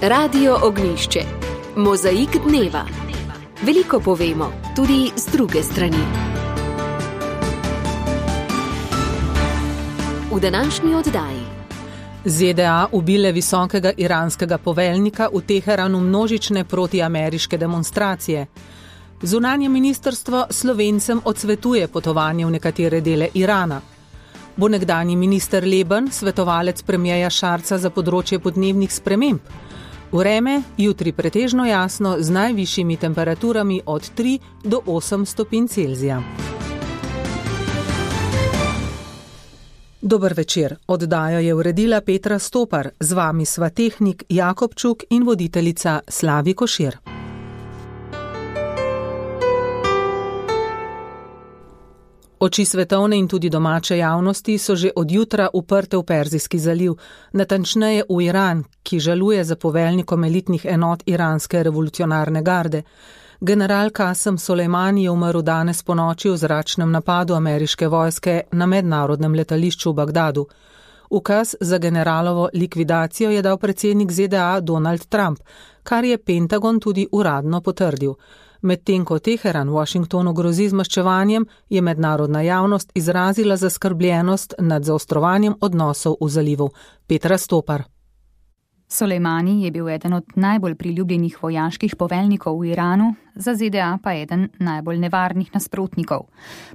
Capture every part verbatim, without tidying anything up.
Radio Ognjišče. Mozaik dneva. Veliko povemo, tudi z druge strani. V današnji oddaji. Z D A ubile visokega iranskega poveljnika, v Teheranu množične protiameriške demonstracije. Zunanje ministrstvo Slovencem odsvetuje potovanje v nekatere dele Irana. Bo nekdanji minister Leben svetovalec premierja Šarca za področje podnebnih sprememb. Vreme jutri pretežno jasno z najvišjimi temperaturami od tri do osem stopinj Celzija. Dober večer, oddajo je uredila Petra Stopar, z vami sva tehnik Jakob Čuk in voditeljica Slavi Košir. Oči svetovne in tudi domače javnosti so že od jutra uprte v Perzijski zaliv, natančneje v Iran, ki žaluje za poveljnikom elitnih enot iranske revolucionarne garde. General Kasem Solejmani je umrl danes ponoči v zračnem napadu ameriške vojske na mednarodnem letališču v Bagdadu. Ukaz za generalovo likvidacijo je dal predsednik Z D A Donald Trump, kar je Pentagon tudi uradno potrdil. Medtem ko Teheran Washingtonu grozi z maščevanjem, je mednarodna javnost izrazila zaskrbljenost nad zaostrovanjem odnosov v zalivu. Petra Stopar. Solejmani je bil eden od najbolj priljubljenih vojaških poveljnikov v Iranu, za Z D A pa eden najbolj nevarnih nasprotnikov.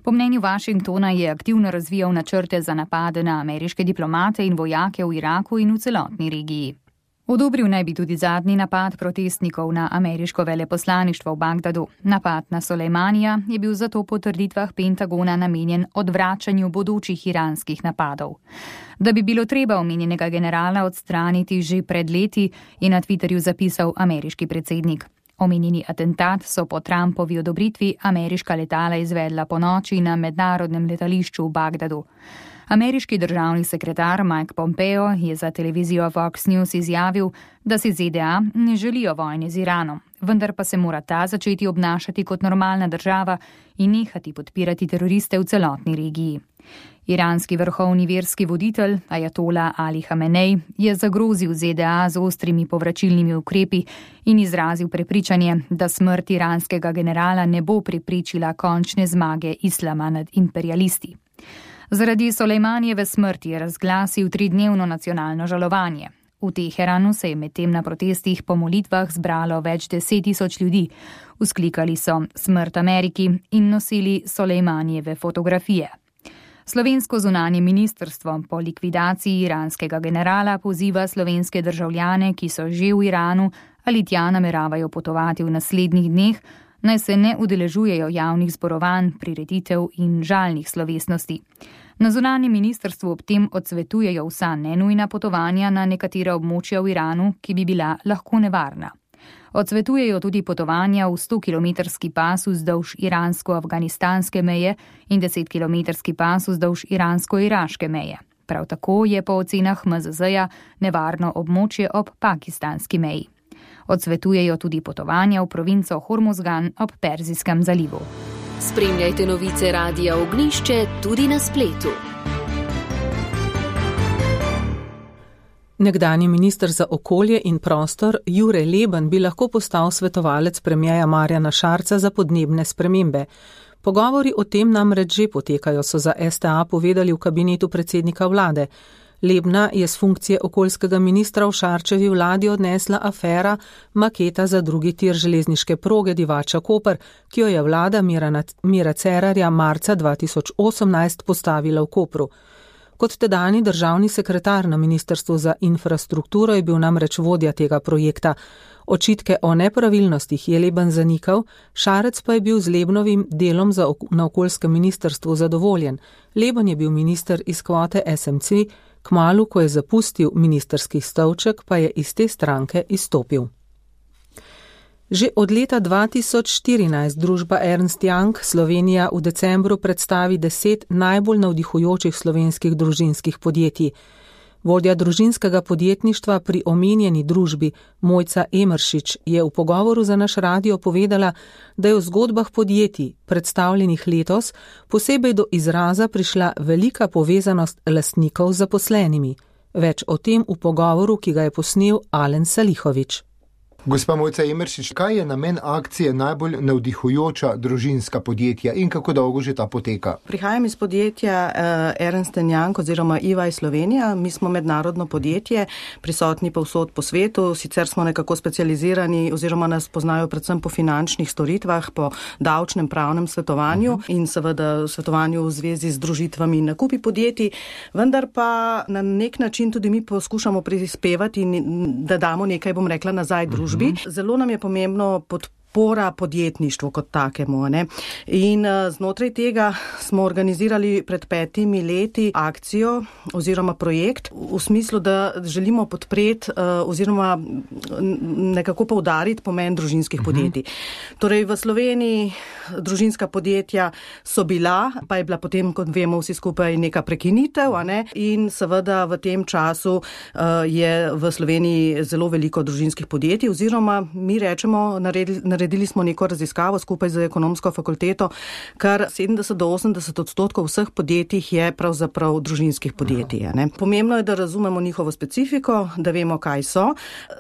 Po mnenju Washingtona je aktivno razvijal načrte za napade na ameriške diplomate in vojake v Iraku in v celotni regiji. Odobril naj bi tudi zadnji napad protestnikov na ameriško veleposlaništvo v Bagdadu. Napad na Solejmanija je bil zato po trditvah Pentagona namenjen odvračanju bodočih iranskih napadov. Da bi bilo treba omenjenega generala odstraniti že pred leti, je na Twitterju zapisal ameriški predsednik. Omenjeni atentat so po Trumpovi odobritvi ameriška letala izvedla ponoči na mednarodnem letališču v Bagdadu. Ameriški državni sekretar Mike Pompeo je za televizijo Fox News izjavil, da si Z D A ne želijo vojne z Iranom, vendar pa se mora ta začeti obnašati kot normalna država in nehati podpirati teroriste v celotni regiji. Iranski vrhovni verski voditelj Ajatola Ali Hamenej je zagrozil Z D A z ostrimi povračilnimi ukrepi in izrazil prepričanje, da smrt iranskega generala ne bo preprečila končne zmage islama nad imperialisti. Zaradi Solejmanijeve smrti je razglasil tridnevno nacionalno žalovanje. V Teheranu se je medtem na protestih po molitvah zbralo več deset tisoč ljudi. Vzklikali so smrt Ameriki in nosili Solejmanijeve fotografije. Slovensko zunanje ministrstvo po likvidaciji iranskega generala poziva slovenske državljane, ki so že v Iranu ali tja nameravajo potovati v naslednjih dneh, naj se ne udeležujejo javnih zborovanj, prireditev in žalnih slovesnosti. Na zunanjem ministrstvu ob tem odsvetujejo vsa nenujna potovanja na nekatera območja v Iranu, ki bi bila lahko nevarna. Odsvetujejo tudi potovanja v stokilometrski pas vzdolž iransko-afganistanske meje in desetkilometrski pas vzdolž iransko-iraške meje. Prav tako je po ocenah M Z Z-ja nevarno območje ob pakistanski meji. Odsvetujejo tudi potovanja v provinco Hormozgan ob Perzijskem zalivu. Spremljajte novice Radia Ognjišče tudi na spletu. Nekdanji minister za okolje in prostor Jure Leben bi lahko postal svetovalec premierja Marjana Šarca za podnebne spremembe. Pogovori o tem namreč že potekajo, so za S T A povedali v kabinetu predsednika vlade. Lebna je s funkcije okoljskega ministra v Šarčevi vladi odnesla afera maketa za drugi tir železniške proge Divača-Koper, ki jo je vlada Mira Cerarja marca dva tisoč osemnajst postavila v Kopru. Kot tedajni državni sekretar na Ministrstvu za infrastrukturo je bil namreč vodja tega projekta. Očitke o nepravilnostih je Leben zanikal, Šarec pa je bil z Lebnovim delom za ok- na okoljskem ministrstvu zadovoljen. Leben je bil minister iz kvote S M C, kmalu, ko je zapustil ministrski stolček, pa je iz te stranke izstopil. Že od leta dva tisoč štirinajst družba Ernst Young Slovenija v decembru predstavi deset najbolj navdihujočih slovenskih družinskih podjetij. Vodja družinskega podjetništva pri omenjeni družbi Mojca Emeršič je v pogovoru za naš radio povedala, da je v zgodbah podjetij, predstavljenih letos, posebej do izraza prišla velika povezanost lastnikov z zaposlenimi. Več o tem v pogovoru, ki ga je posnel Alen Salihović. Gospa Mojca Emeršič, kaj je namen akcije najbolj navdihujoča družinska podjetja in kako dolgo že ta poteka? Prihajam iz podjetja uh, Ernst and Young oziroma E Y Slovenija. Mi smo mednarodno podjetje, prisotni povsod po svetu, sicer smo nekako specializirani oziroma nas poznajo predvsem po finančnih storitvah, po davčnem pravnem svetovanju uh-huh. in seveda svetovanju v zvezi z združitvami in nakupi podjetij, vendar pa na nek način tudi mi poskušamo prispevati in da damo nekaj, bom rekla, nazaj družbi. Zelo nam je pomembno podpora podjetništvu kot takemu. Ne? In znotraj tega smo organizirali pred petimi leti akcijo oziroma projekt v smislu, da želimo podpreti oziroma nekako poudariti pomen družinskih podjetij. Torej v Sloveniji družinska podjetja so bila, pa je bila potem, kot vemo vsi skupaj, neka prekinitev, a ne? In seveda v tem času uh, je v Sloveniji zelo veliko družinskih podjetij oziroma mi rečemo, naredili, naredili smo neko raziskavo skupaj z ekonomsko fakulteto, kar sedemdeset do osemdeset odstotkov vseh podjetij je pravzaprav družinskih podjetij. A ne? Pomembno je, da razumemo njihovo specifiko, da vemo, kaj so.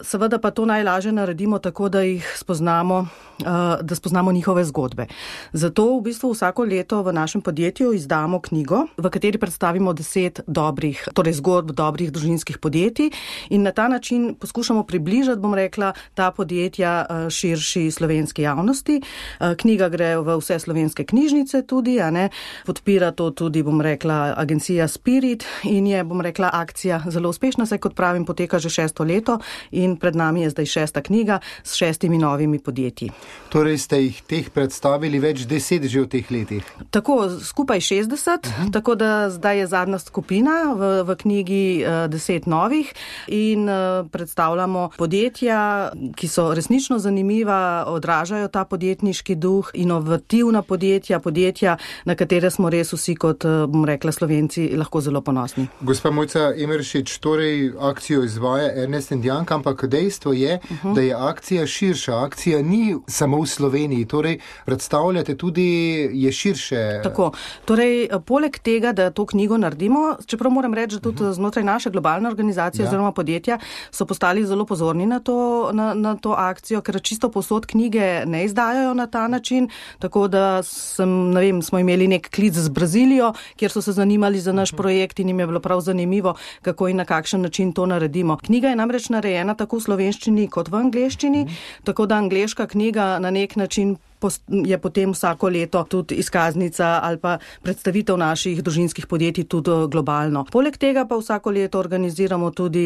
Seveda pa to najlažje naredimo tako, da jih spoznamo, uh, da spoznamo njihove zgodbe. Zato v bistvu vsako leto v našem podjetju izdamo knjigo, v kateri predstavimo deset dobrih, torej zgodb dobrih družinskih podjetij in na ta način poskušamo približati, bom rekla, ta podjetja širši slovenski javnosti. Knjiga gre v vse slovenske knjižnice tudi, a ne, podpira to tudi, bom rekla, agencija Spirit in je, bom rekla, akcija zelo uspešna, saj kot pravim, poteka že šesto leto in pred nami je zdaj šesta knjiga s šestimi novimi podjetji. Torej ste jih teh predstavili več deset že v teh letih? Tako, skupaj šestdeset, uh-huh. tako da zdaj je zadnja skupina v, v knjigi uh, deset novih in uh, predstavljamo podjetja, ki so resnično zanimiva, odražajo ta podjetniški duh, inovativna podjetja, podjetja, na katere smo res vsi kot, uh, bom rekla, Slovenci lahko zelo ponosni. Gospa Mojca Emeršič, torej akcijo izvaja Ernst and Young, ampak dejstvo je, uh-huh. da je akcija širša. Akcija ni samo v Sloveniji, torej predstavljate tudi, je širše. Tako, torej poleg tega, da to knjigo naredimo, čeprav moram reči, da tudi uh-huh. znotraj naše globalne organizacije ja. oziroma podjetja so postali zelo pozorni na to, na, na to akcijo, ker čisto povsod knjige ne izdajajo na ta način, tako da sem, ne vem, smo imeli nek klic z Brazilijo, kjer so se zanimali za naš uh-huh. projekt in jim je bilo prav zanimivo, kako in na kakšen način to naredimo. Knjiga je namreč narejena tako v slovenščini kot v angleščini, uh-huh. tako da angleška knjiga na nek način je potem vsako leto tudi izkaznica ali pa predstavitev naših družinskih podjetij tudi globalno. Poleg tega pa vsako leto organiziramo tudi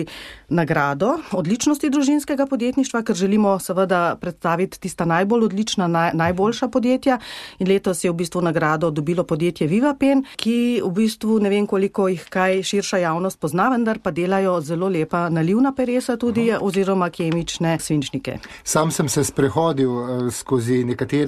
nagrado odličnosti družinskega podjetništva, ker želimo seveda predstaviti tista najbolj odlična, naj, najboljša podjetja in letos je v bistvu nagrado dobilo podjetje Vivapen, ki v bistvu ne vem koliko jih kaj širša javnost pozna, vendar pa delajo zelo lepa nalivna peresa tudi Aha. oziroma kemične svinčnike. Sam sem se sprehodil uh, skozi nekatere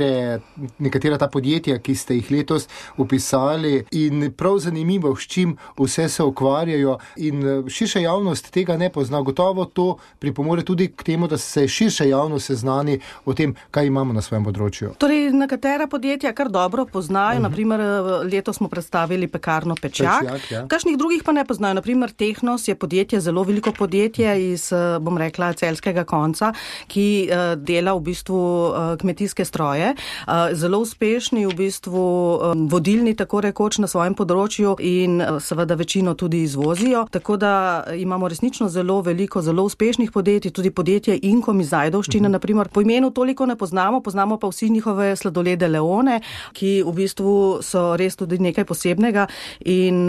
nekatera ta podjetja, ki ste jih letos upisali in prav zanimivo, s čim vse se ukvarjajo in širša javnost tega ne pozna. Gotovo to pripomore tudi k temu, da se širša javnost seznani o tem, kaj imamo na svojem področju. Torej, nekatera podjetja kar dobro poznajo, uh-huh. naprimer letos smo predstavili pekarno Pečjak, Pečjak ja. kakšnih drugih pa ne poznajo. Naprimer Tehnos je podjetje, zelo veliko podjetje iz, bom rekla, celjskega konca, ki uh, dela v bistvu uh, kmetijske stroje. Zelo uspešni, v bistvu vodilni tako rekoč na svojem področju in seveda večino tudi izvozijo. Tako da imamo resnično zelo veliko, zelo uspešnih podjetij, tudi podjetje Inkom iz Ajdovščine, uh-huh. naprimer. Po imenu toliko ne poznamo, poznamo pa vsi njihove sladolede Leone, ki v bistvu so res tudi nekaj posebnega in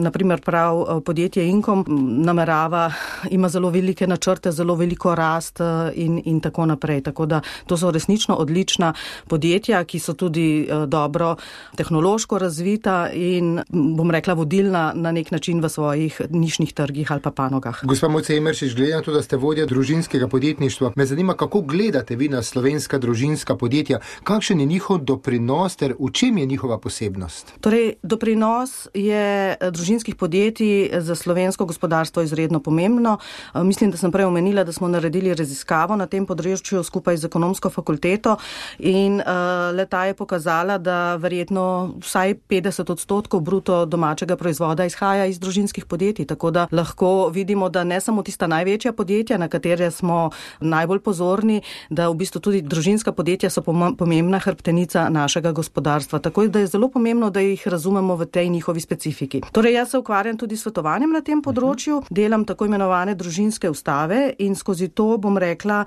naprimer prav podjetje Inkom namerava, ima zelo velike načrte, zelo veliko rast in, in tako naprej. Tako da to so resnično odlična podjetja, ki so tudi uh, dobro tehnološko razvita in, bom rekla, vodilna na nek način v svojih nišnih trgih ali pa panogah. Gospa Mojca Emeršič, glede na to, da ste vodja družinskega podjetništva, me zanima, kako gledate vi na slovenska družinska podjetja, kakšen je njihov doprinos ter v čem je njihova posebnost? Torej, doprinos je družinskih podjetij za slovensko gospodarstvo izredno pomembno. Mislim, da sem prej omenila, da smo naredili raziskavo na tem področju skupaj z ekonomsko fakulteto in uh, leta je pokazala, da verjetno vsaj petdeset odstotkov bruto domačega proizvoda izhaja iz družinskih podjetij, tako da lahko vidimo, da ne samo tista največja podjetja, na katere smo najbolj pozorni, da v bistvu tudi družinska podjetja so pomembna hrbtenica našega gospodarstva. Tako da je zelo pomembno, da jih razumemo v tej njihovi specifiki. Torej, jaz se ukvarjam tudi s svetovanjem na tem področju, delam tako imenovane družinske ustave in skozi to, bom rekla,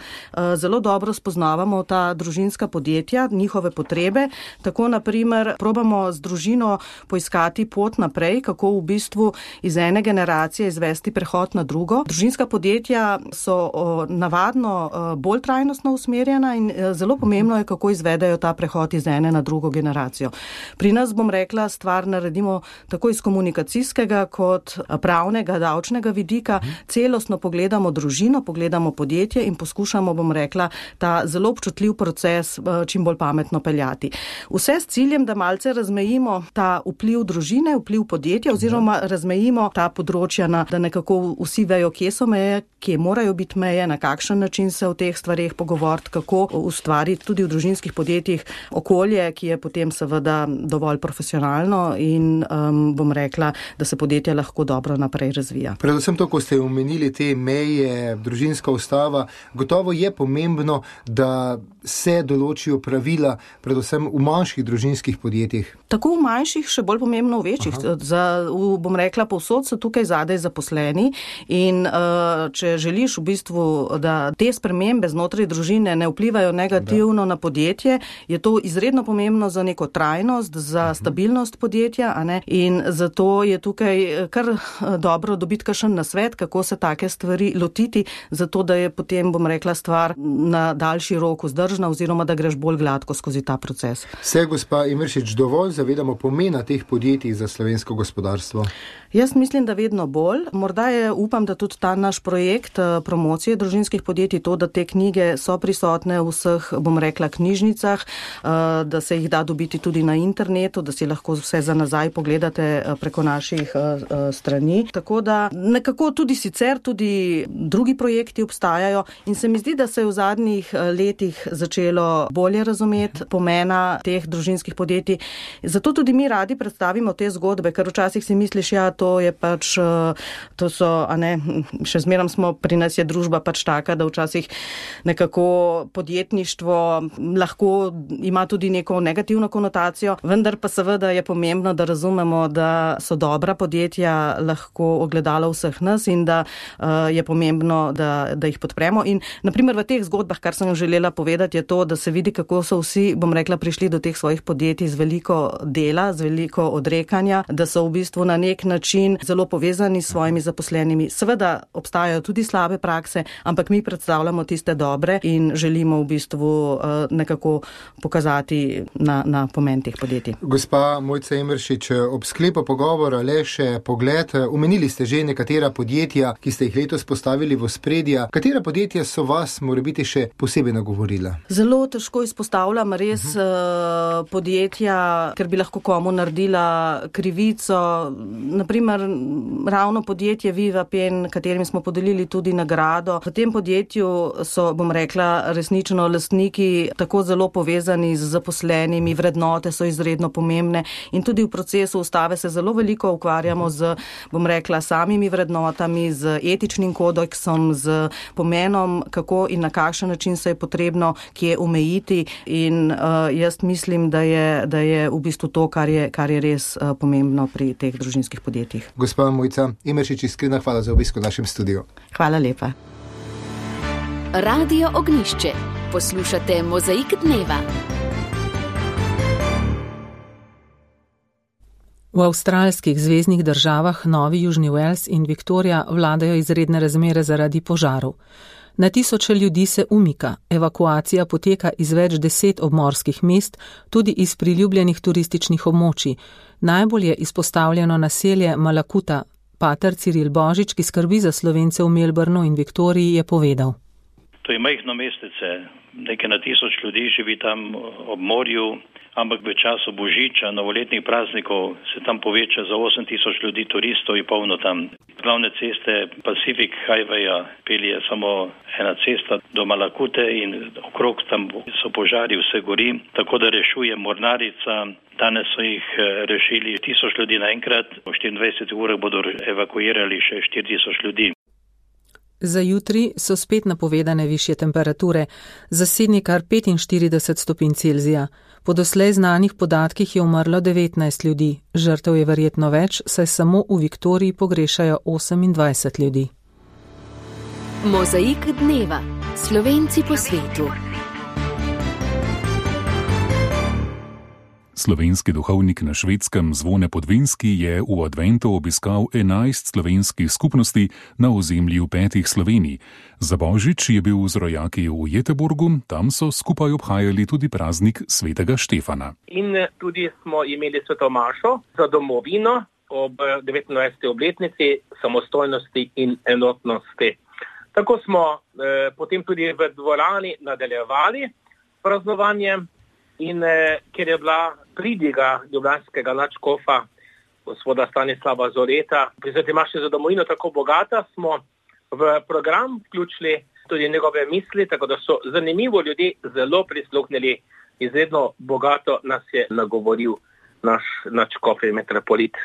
zelo dobro spoznavamo ta družinska podjetja, njihove potrebe. Tako, na primer, probamo z družino poiskati pot naprej, kako v bistvu iz ene generacije izvesti prehod na drugo. Družinska podjetja so navadno bolj trajnostno usmerjena in zelo pomembno je, kako izvedejo ta prehod iz ene na drugo generacijo. Pri nas, bom rekla, stvar naredimo tako iz komunikacijskega kot pravnega, davčnega vidika. Celostno pogledamo družino, pogledamo podjetje in poskušamo, bom rekla, ta zelo občutljiv proces čim bolj pametno peljati. Vse s ciljem, da malce razmejimo ta vpliv družine, vpliv podjetja oziroma razmejimo ta področja, na, da nekako vsi vejo, kje so meje, kje morajo biti meje, na kakšen način se o teh stvareh pogovoriti, kako ustvariti tudi v družinskih podjetjih okolje, ki je potem seveda dovolj profesionalno in um, bom rekla, da se podjetja lahko dobro naprej razvija. Predvsem to, ko ste omenili te meje, družinska ustava, gotovo je pomembno, da se določijo pravila, predvsem v manjših družinskih podjetjih. Tako v manjših, še bolj pomembno v večjih. Za, v, bom rekla, povsod so tukaj zadaj zaposleni in uh, če želiš v bistvu, da te spremembe znotraj družine ne vplivajo negativno da. na podjetje, je to izredno pomembno za neko trajnost, za uh-huh. stabilnost podjetja, a ne? In zato je tukaj kar dobro dobiti kakšen nasvet, kako se take stvari lotiti, zato da je potem, bom rekla, stvar na daljši rok vzdržna oziroma da greš bolj gladko skozi ta proces. Se, gospa Imeršič, dovolj zavedamo pomena teh podjetij za slovensko gospodarstvo? Jaz mislim, da vedno bolj. Morda je, upam, da tudi ta naš projekt promocije družinskih podjetij, to, da te knjige so prisotne v vseh, bom rekla, knjižnicah, da se jih da dobiti tudi na internetu, da si lahko vse za nazaj pogledate preko naših strani. Tako da nekako tudi sicer, tudi drugi projekti obstajajo in se mi zdi, da se je v zadnjih letih začelo bolje razumeti pomena teh družinskih podjetij. Zato tudi mi radi predstavimo te zgodbe, ker včasih si misliš, ja, to je pač, to so, a ne, še zmerom smo, pri nas je družba pač taka, da včasih nekako podjetništvo lahko ima tudi neko negativno konotacijo, vendar pa seveda je pomembno, da razumemo, da so dobra podjetja lahko ogledalo vseh nas in da uh, je pomembno, da, da jih podpremo. In naprimer v teh zgodbah, kar sem želela povedati, je to, da se vidi, kako so vsi, bom rekla, prišli do teh svojih podjetij z veliko dela, z veliko odrekanja, da so v bistvu na nek način zelo povezani s svojimi zaposlenimi. Seveda obstajajo tudi slabe prakse, ampak mi predstavljamo tiste dobre in želimo v bistvu uh, nekako pokazati na, na pomen teh podjetij. Gospa Mojca Imeršič, ob sklepu pogovora le še pogled. Omenili ste že nekatera podjetja, ki ste jih letos postavili v ospredje. Katera podjetja so vas morebiti še posebej nagovorila? Zelo težko izpostavljam res uh-huh. uh, podjetja, ker bi lahko komu naredila krivico. Naprimer, ravno podjetje Viva Pen, katerim smo podelili tudi nagrado. V tem podjetju so, bom rekla, resnično lastniki tako zelo povezani z zaposlenimi, vrednote so izredno pomembne in tudi v procesu ustave se zelo veliko ukvarjamo z, bom rekla, samimi vrednotami, z etičnim kodeksom, z pomenom, kako in na kakšen način se je potrebno kje omejiti in uh, jaz mislim, da je, da je v bistvu to, kar je, kar je res uh, pomembno pri teh družinskih podjetjih. Gospa Mojca Imeršič, iskrena hvala za obisk v našem studiu. Hvala lepa. Radio Ognjišče. Poslušate Mozaik dneva. V avstralskih zveznih državah Novi Južni Wales in Viktorija vladajo izredne razmere zaradi požarov. Na tisoče ljudi se umika, evakuacija poteka iz več deset obmorskih mest, tudi iz priljubljenih turističnih območij. Najbolj je izpostavljeno naselje Malakuta. Pater Ciril Božič, ki skrbi za Slovence v Melbourneu in Viktoriji, je povedal. To je majhno mestece, nekaj na tisoč ljudi živi tam ob morju, ampak v času božiča, novoletnih praznikov se tam poveča za osem tisoč ljudi turistov in polno tam. Glavne ceste Pacific Highwaya pelje samo ena cesta do Malakute in okrog tam so požari, vse gori, tako da rešuje mornarica. Danes so jih rešili tisoč ljudi naenkrat, v štiriindvajsetih urah bodo evakuirali še štiri tisoč ljudi. Za jutri so spet napovedane višje temperature, za Sidney kar petinštirideset stopinj Celzija. Po doslej znanih podatkih je umrlo devetnajst ljudi, žrtev je verjetno več, saj samo v Viktoriji pogrešajo osemindvajset ljudi. Mozaik dneva. Slovenci po svetu. Slovenski duhovnik na Švedskem Zvone Podvinski je v adventu obiskal enajst slovenskih skupnosti na ozemlju petih Slovenij. Za božič je bil z rojaki v Jeteborgu, tam so skupaj obhajali tudi praznik svetega Štefana. In tudi smo imeli sveto mašo za domovino ob devetnajsti obletnici samostojnosti in enotnosti. Tako smo eh, potem tudi v dvorani nadaljevali praznovanje. In eh, ker je bila pridiga ljubljanskega nadškofa, gospoda Stanislava Zoreta, pri sveti maši za domovino tako bogata, smo v program vključili tudi njegove misli, tako da so zanimivo ljudi zelo prisluhnili. Izredno bogato nas je nagovoril naš nadškof in metropolit.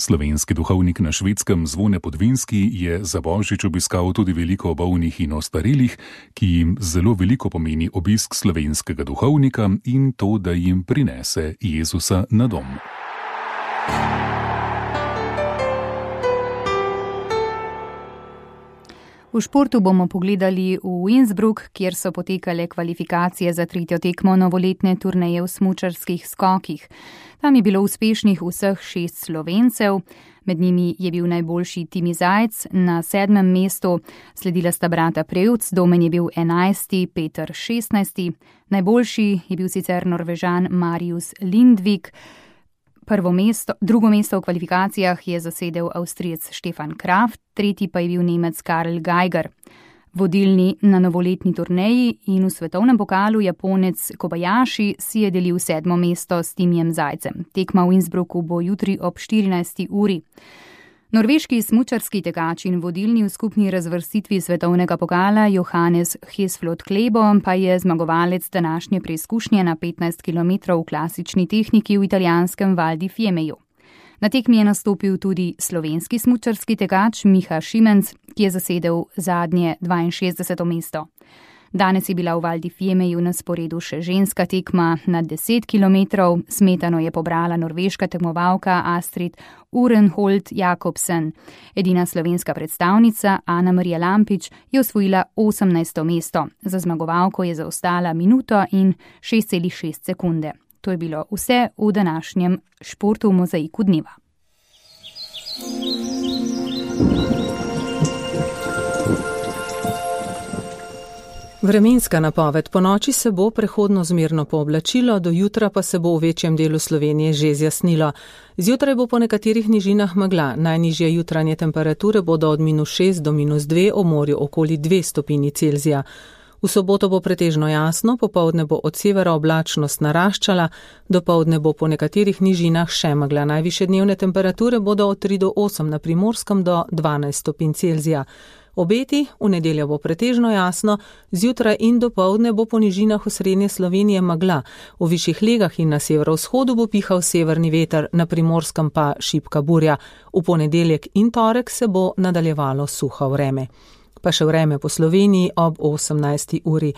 Slovenski duhovnik na Švedskem Zvone Podvinski je za božič obiskal tudi veliko bolnih in ostarelih, ki jim zelo veliko pomeni obisk slovenskega duhovnika in to, da jim prinese Jezusa na dom. V športu bomo pogledali v Innsbruck, kjer so potekale kvalifikacije za tretjo tekmo novoletne turneje v smučarskih skokih. Tam je bilo uspešnih vseh šest Slovencev, med njimi je bil najboljši Timi Zajc na sedmem mestu, sledila sta brata Prevc, Domen je bil enajsti, Peter šestnajsti, najboljši je bil sicer Norvežan Marius Lindvik. Prvo mesto, drugo mesto v kvalifikacijah je zasedel Avstrijec Stefan Kraft, tretji pa je bil Nemec Karl Geiger. Vodilni na novoletni turneji in v svetovnem pokalu Japonec Kobayashi si je delil sedmo mesto s Timijem Zajcem. Tekma v Innsbrucku bo jutri ob štirinajsti uri. Norveški smučarski tekač in vodilni v skupni razvrstitvi svetovnega pokala Johannes Hesflot Klebo pa je zmagovalec današnje preizkušnje na petnajst kilometrov v klasični tehniki v italijanskem Val di Fiemeju. Na tekmi je nastopil tudi slovenski smučarski tekač Miha Šimenc, ki je zasedel zadnje dvainšestdeseto mesto. Danes je bila v Val di Fiemeju na sporedu še ženska tekma na deset kilometrov. Smetano je pobrala norveška tekmovalka Astrid Urenholt Jakobsen. Edina slovenska predstavnica Ana Marija Lampič je osvojila osemnajsto mesto. Za zmagovalko je zaostala minuto in šest celih šest sekunde. To je bilo vse v današnjem športu v Mozaiku dneva. Vremenska napoved. Po noči se bo prehodno zmerno pooblačilo, do jutra pa se bo v večjem delu Slovenije že zjasnilo. Zjutraj bo po nekaterih nižinah megla. Najnižje jutranje temperature bodo od minus šest do minus dve, ob morju okoli dve stopinji Celzija. V soboto bo pretežno jasno, popoldne bo od severa oblačnost naraščala, dopoldne bo po nekaterih nižinah še megla. Najvišje dnevne temperature bodo od tri do osem, na Primorskem do dvanajst stopinj Celzija. Obeti, v nedeljo bo pretežno jasno, zjutraj in dopoldne bo po nižinah v srednje Slovenije megla. V višjih legah in na severovzhodu bo pihal severni veter, na Primorskem pa šibka burja. V ponedeljek in torek se bo nadaljevalo suho vreme. Pa še vreme po Sloveniji ob osemnajsti uri.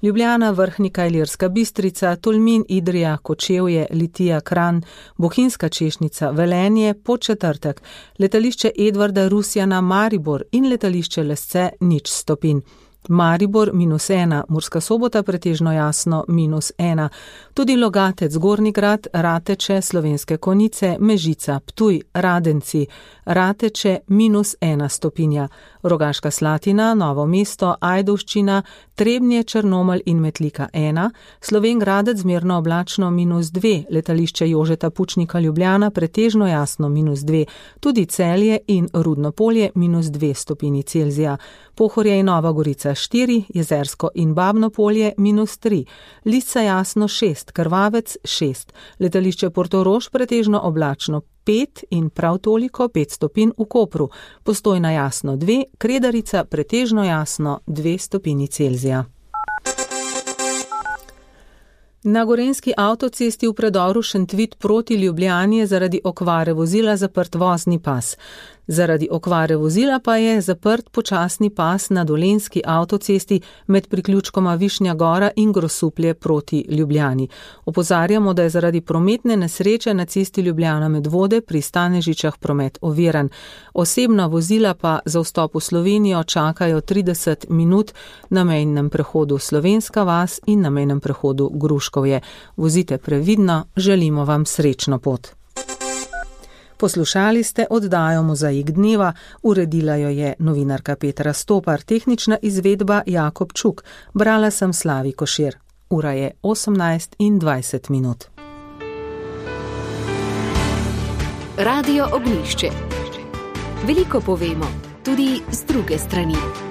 Ljubljana, Vrhnika, Ilirska Bistrica, Tolmin, Idrija, Kočevje, Litija, Kranj, Bohinjska Češnica, Velenje, Podčetrtek, letališče Edvarda Rusjana, Maribor in letališče Lesce nič stopinj. Maribor minus ena, Murska Sobota pretežno jasno minus ena. Tudi Logatec, Gornji Grad, Rateče, Slovenske Konjice, Mežica, Ptuj, Radenci, Rateče minus ena stopinja. Rogaška Slatina, Novo mesto, Ajdovščina, Trebnje, Črnomelj in Metlika ena, Slovenj Gradec zmerno oblačno minus dve, letališče Jožeta Pučnika Ljubljana pretežno jasno minus dve, tudi Celje in Rudno Polje minus dve stopinji Celzija. Pohorje in Nova Gorica Vela štiri, Jezersko in Babno polje minus tri, Lisca Jasno šest, Krvavec šest, letališče Portorož pretežno oblačno pet in prav toliko pet stopinj v Kopru, Postojna jasno dve, Kredarica pretežno jasno dve stopinji Celzija. Na gorenjski avtocesti v predoru Šentvit proti Ljubljani je zaradi okvare vozila zaprt vozni pas. Zaradi okvare vozila pa je zaprt počasni pas na dolenjski avtocesti med priključkoma Višnja Gora in Grosuplje proti Ljubljani. Opozarjamo, da je zaradi prometne nesreče na cesti Ljubljana Medvode pri Stanežičah promet oviran. Osebna vozila pa za vstop v Slovenijo čakajo trideset minut na mejnem prehodu Slovenska vas in na mejnem prehodu Gruškovje. Vozite previdno, želimo vam srečno pot. Poslušali ste oddajo Mozaik dneva, uredila jo je novinarka Petra Stopar, tehnična izvedba Jakob Čuk, brala sem Slavi Košir. Ura je osemnajst in dvajset minut. Radio Ognjišče. Veliko povemo, tudi z druge strani.